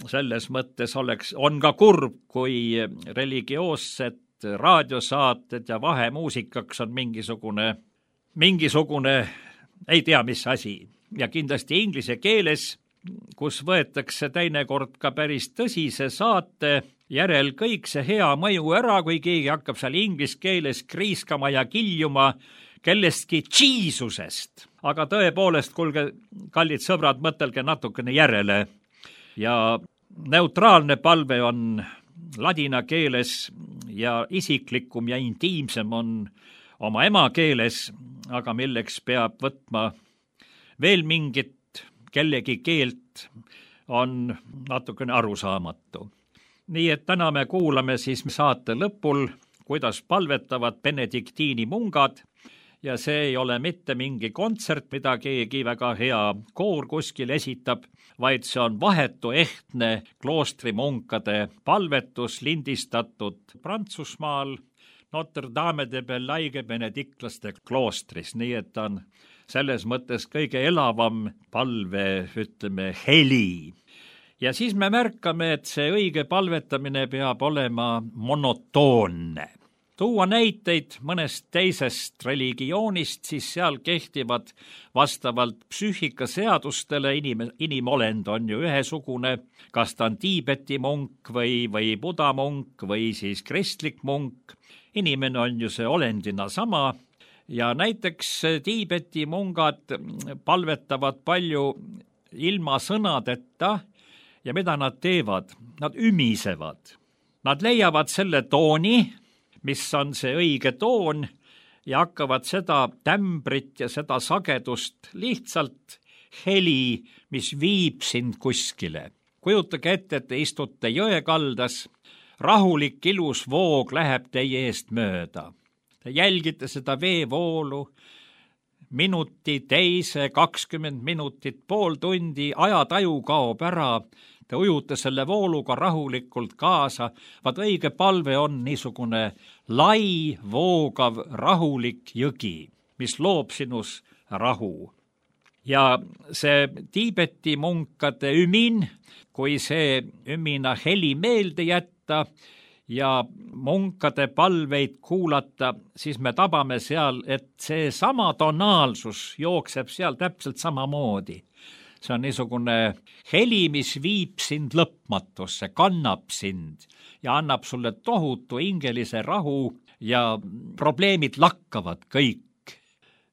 C: Selles mõttes oleks, on ka kurb, kui religioossed raadiosaated ja vahemuusikaks on mingisugune, mingisugune ei tea mis asi. Ja kindlasti inglise keeles, kus võetakse teinekord ka päris tõsise saate järel kõik see hea mõju ära, kui keegi hakkab seal inglise keeles kriiskama ja kiljuma kellestki Jeesusest. Aga tõepoolest, kuulge, kallid sõbrad, mõtelge natukene järele. Ja neutraalne palve on ladina keeles ja isiklikum ja intiimsem on oma emakeeles, aga milleks peab võtma veel mingit kellegi keelt, on natukene arusaamatu. Nii et täna me kuulame siis saate lõpul, kuidas palvetavad benediktiini mungad, ja see ei ole mitte mingi kontsert, mida keegi väga hea koor kuskil esitab, vaid see on vahetu ehtne kloostrimunkade palvetus lindistatud Prantsusmaal, Notre Dame de Bellaigue benediktlaste kloostris, nii et ta on selles mõttes kõige elavam palve, ütleme, heli. Ja siis me märkame, et see õige palvetamine peab olema monotoonne. Tuua näiteid mõnest teisest religioonist, siis seal kehtivad vastavalt psüühikaseadustele, inim, inimolend on ju ühesugune, kas ta on Tiibeti munk või, või buda munk või siis kristlik munk. Inimene on ju see olendina sama ja näiteks Tiibeti mungad palvetavad palju ilma sõnadeta ja mida nad teevad? Nad ümisevad. Nad leiavad selle tooni, mis on see õige toon ja hakkavad seda tämbrit ja seda sagedust lihtsalt heli, mis viib sind kuskile. Kujutage ette, et te istute jõekaldas, rahulik ilus voog läheb teie eest mööda. Te jälgite seda veevoolu, minuti, teise, kakskümmend minutit, pool tundi, ajataju kaob ära, te ujute selle vooluga rahulikult kaasa, vaat õige palve on niisugune lai, voogav, rahulik jõgi, mis loob sinus rahu. Ja see Tiibeti munkade ümin, kui see ümina heli meelde jätta ja munkade palveid kuulata, siis me tabame seal, et see sama tonaalsus jookseb seal täpselt samamoodi. See on niisugune heli, mis viib sind lõpmatusse, kannab sind ja annab sulle tohutu hingelise rahu ja probleemid lakkavad kõik.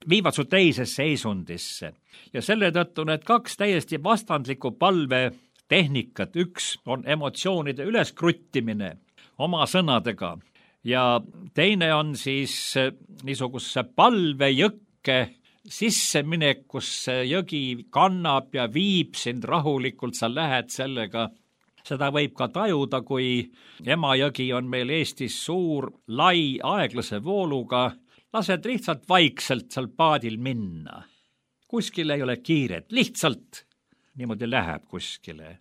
C: Viivad su teisesse seisundisse. Ja selle tõttu need kaks täiesti vastandlikku palvetehnikat. Üks on emotsioonide üleskruttimine oma sõnadega ja teine on siis niisuguse palvejõkke sisseminek, kus see jõgi kannab ja viib sind rahulikult, sa lähed sellega. Seda võib ka tajuda, kui Emajõgi on meil Eestis suur, lai, aeglase vooluga, lased lihtsalt vaikselt seal paadil minna. Kuskil ei ole kiiret, lihtsalt niimoodi läheb kuskile.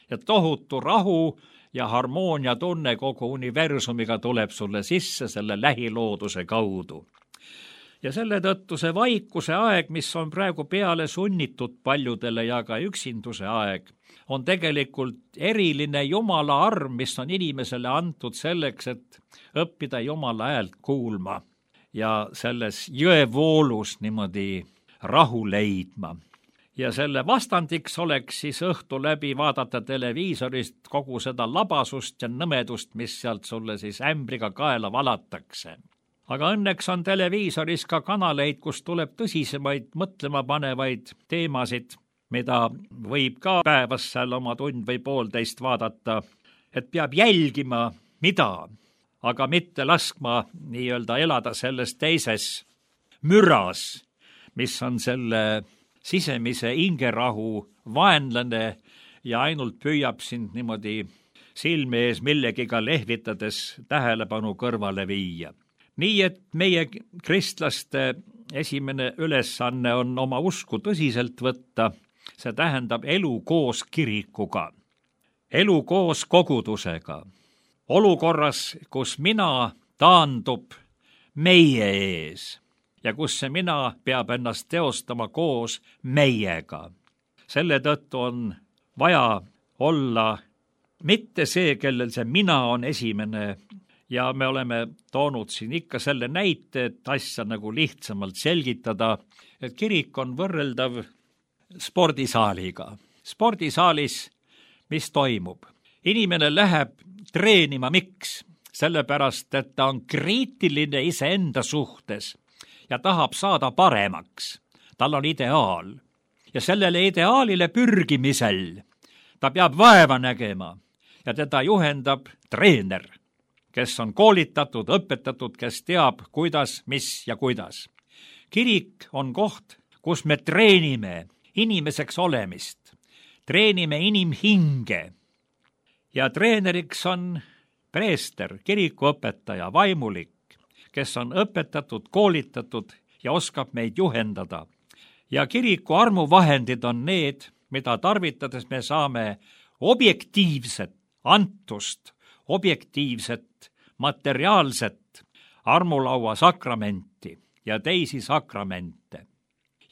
C: Ja tohutu rahu ja harmoonia tunne kogu universumiga tuleb sulle sisse selle lähilooduse kaudu. Ja selle tõttu see vaikuse aeg, mis on praegu peale sunnitud paljudele ja ka üksinduse aeg, on tegelikult eriline Jumala arm, mis on inimesele antud selleks, et õppida Jumala häält kuulma ja selles jõevoolus niimoodi rahu leidma. Ja selle vastandiks oleks siis õhtu läbi vaadata televiisorist kogu seda labasust ja nõmedust, mis sealt sulle siis ämbriga kaela valatakse. Aga õnneks on televiisoris ka kanaleid, kus tuleb tõsisemaid mõtlema panevaid teemasid, mida võib ka päevas seal oma tund või poolteist vaadata, et peab jälgima, mida, aga mitte laskma nii-öelda elada selles teises müras, mis on selle sisemise hingerahu vaenlane ja ainult püüab sind niimoodi silme ees millegiga lehvitades tähelepanu kõrvale viia. Nii et meie kristlaste esimene ülesanne on oma usku tõsiselt võtta, see tähendab elu koos kirikuga, elu koos kogudusega, olukorras, kus mina taandub meie ees ja kus see mina peab ennast teostama koos meiega. Selle tõttu on vaja olla mitte see, kellel see mina on esimene. Ja me oleme toonud siin ikka selle näite, et asja nagu lihtsamalt selgitada, et kirik on võrreldav spordisaaliga. Spordisaalis, mis toimub? Inimene läheb treenima, miks? Sellepärast, et ta on kriitiline iseenda suhtes ja tahab saada paremaks. Tal on ideaal. Ja sellele ideaalile pürgimisel ta peab vaeva nägema ja teda juhendab treener, kes on koolitatud, õpetatud, kes teab, kuidas, mis ja kuidas. Kirik on koht, kus me treenime inimeseks olemist, treenime inimhinge ja treeneriks on preester, kirikuõpetaja, vaimulik, kes on õpetatud, koolitatud ja oskab meid juhendada. Ja kiriku armuvahendid on need, mida tarvitades me saame objektiivset antust, objektiivset materiaalset armulaua sakramenti ja teisi sakramente.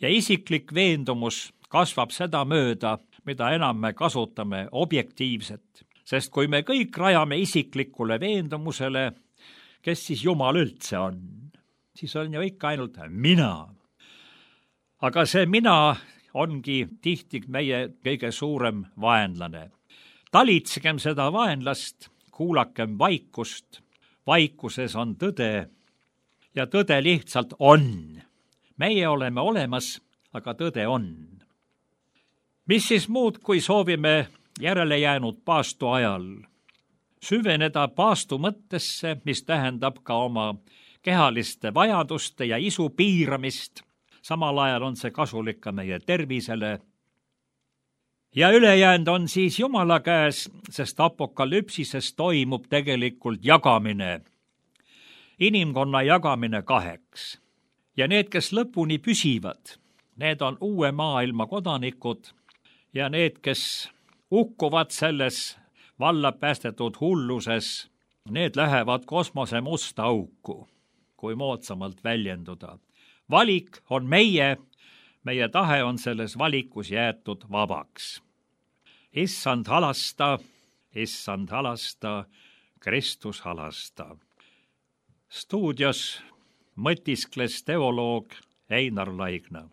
C: Ja isiklik veendumus kasvab seda mööda, mida enam me kasutame objektiivset, sest kui me kõik rajame isiklikule veendumusele, kes siis Jumal üldse on, siis on ju ikka ainult mina. Aga see mina ongi tihti meie kõige suurem vaenlane. Talitsegem seda vaenlast, kuulakem vaikust, vaikuses on tõde ja tõde lihtsalt on. Meie oleme olemas, aga tõde on. Mis siis muud, kui soovime järele jäänud paastu ajal süveneda paastu mõttesse, mis tähendab ka oma kehaliste vajaduste ja isu piiramist. Samal ajal on see kasulik ka meie tervisele. Ja ülejäänud on siis Jumala käes, sest apokalüpsises toimub tegelikult jagamine. Inimkonna jagamine kaheks. Ja need, kes lõpuni püsivad, need on uue maailma kodanikud ja need, kes ukkuvad selles valla päästetud hulluses, need lähevad kosmose musta auku, kui moodsamalt väljenduda. Valik on meie, meie tahe on selles valikus jäetud vabaks. Issand halasta, issand halasta, Kristus halasta. Stuudios mõtiskles teoloog Einar Laigna.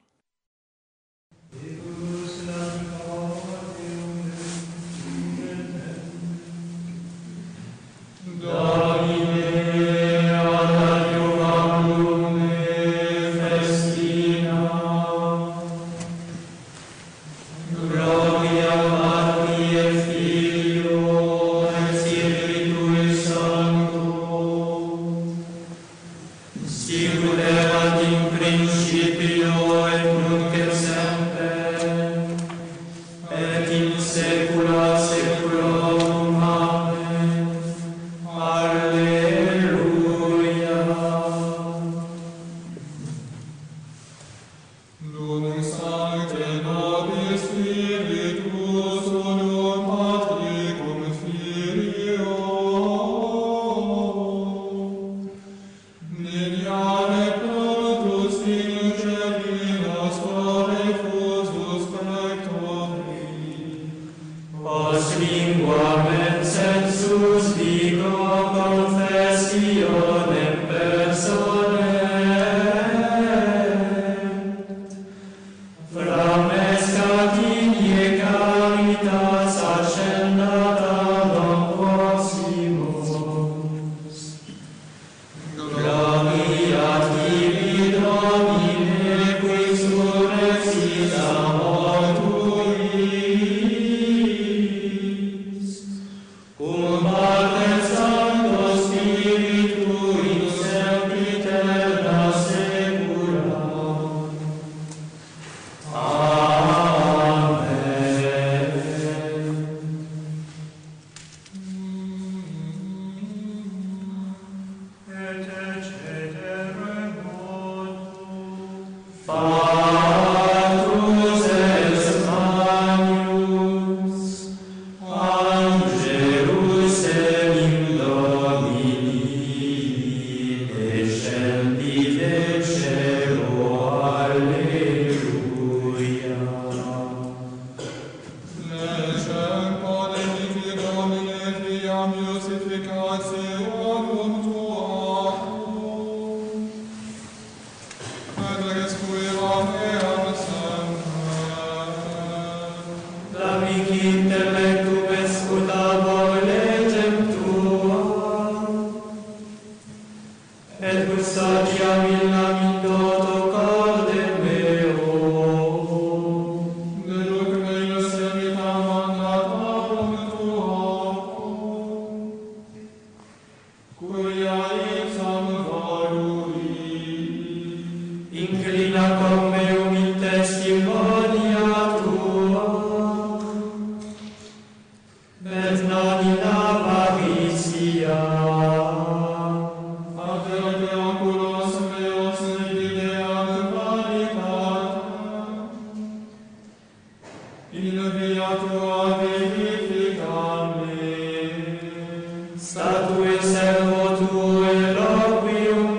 D: Statue servo tuo e requiem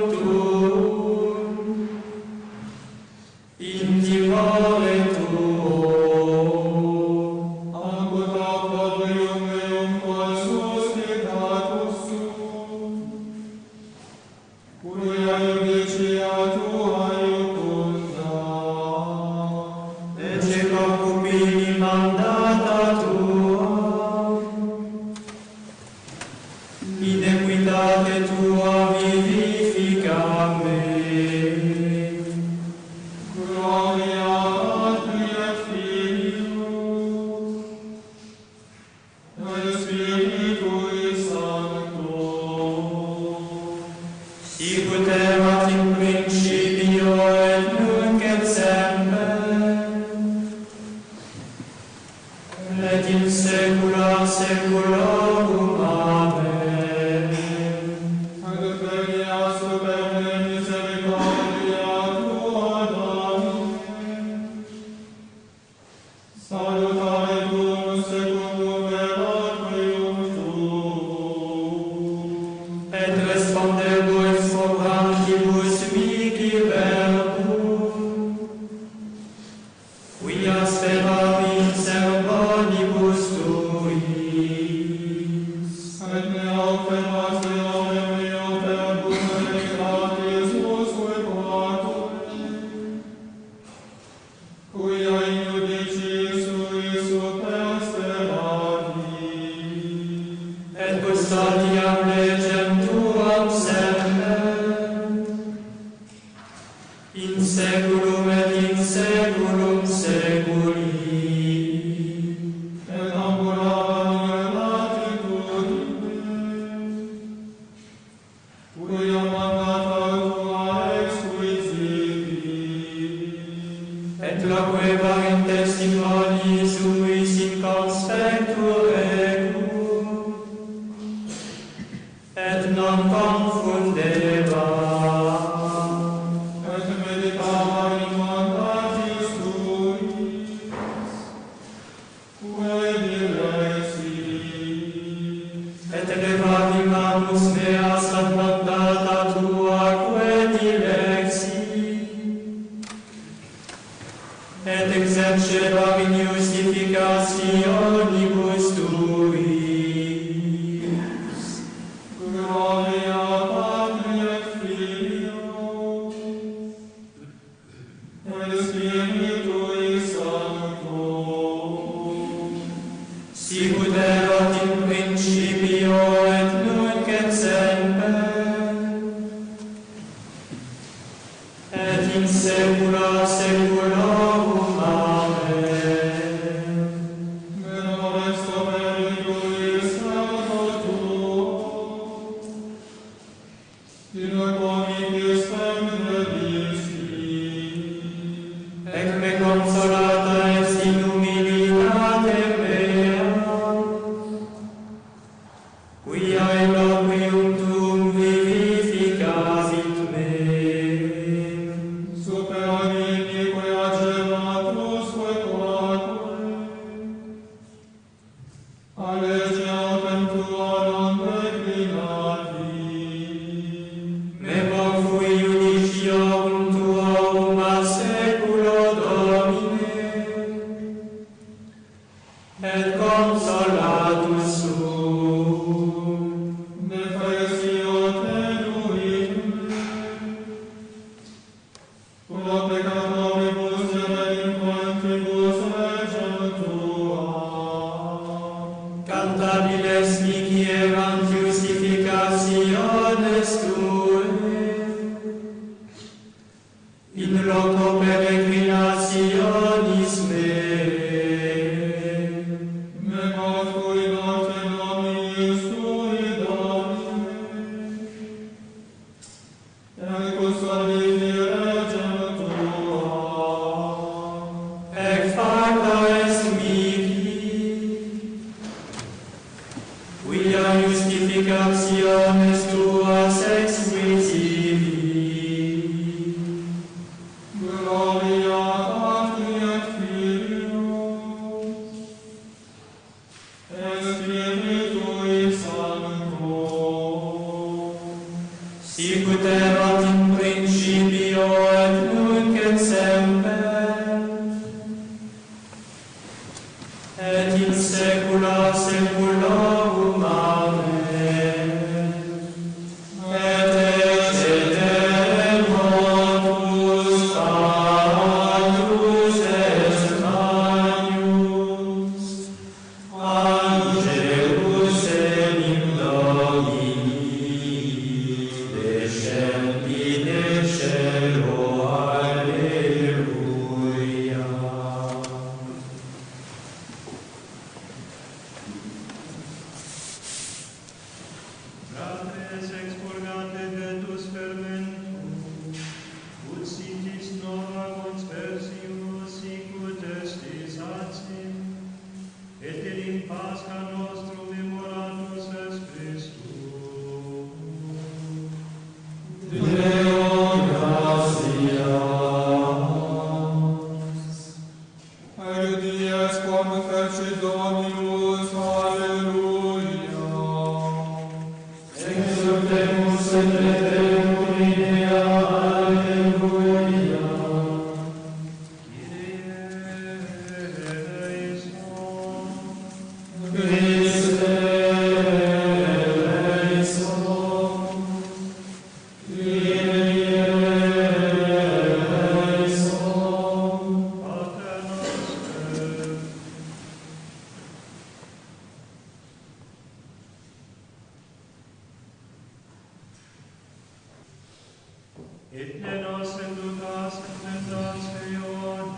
D: et ne nostre ducas tentationem,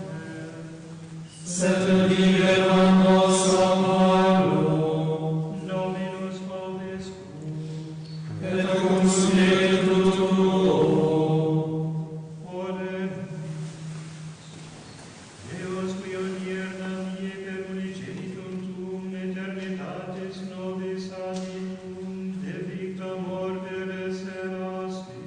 D: sed libera nos a malo. Dominus vobiscum, et cum spiritu tuo. Oremus. Deus qui odierna die per unicenitum tuum eternitatis nobis animum deficta morte reserasti,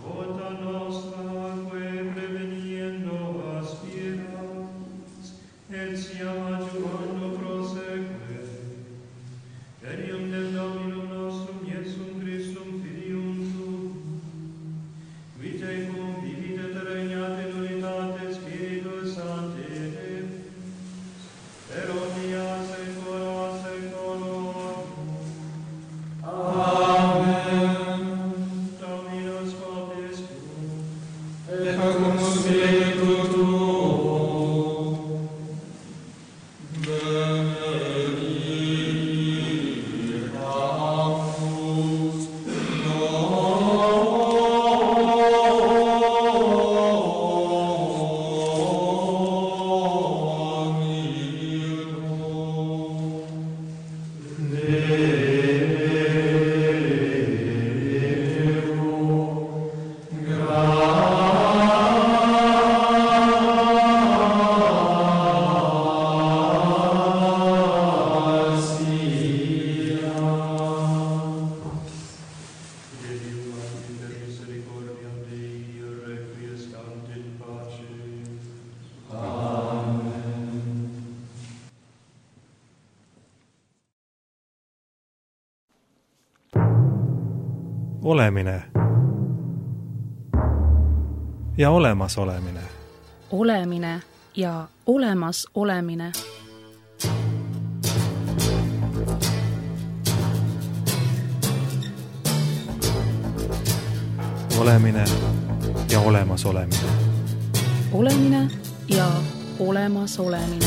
D: vota nostra que preveniendo aspirans, et siam adjuvando proseque, perium del Dominum nostrum Iesum Christum Filium tuum, qui tecum vivit et regnat in unitate Spiritus Sancti Deus, per omnia saecula saeculorum. Amen. Dominus vobiscum, et cum spiritu tuo. Benedictamus
A: Olemine ja olemas olemine.
B: Olemine ja olemas olemine.
A: Olemine ja olemas olemine.
B: Olemine ja olemas olemine.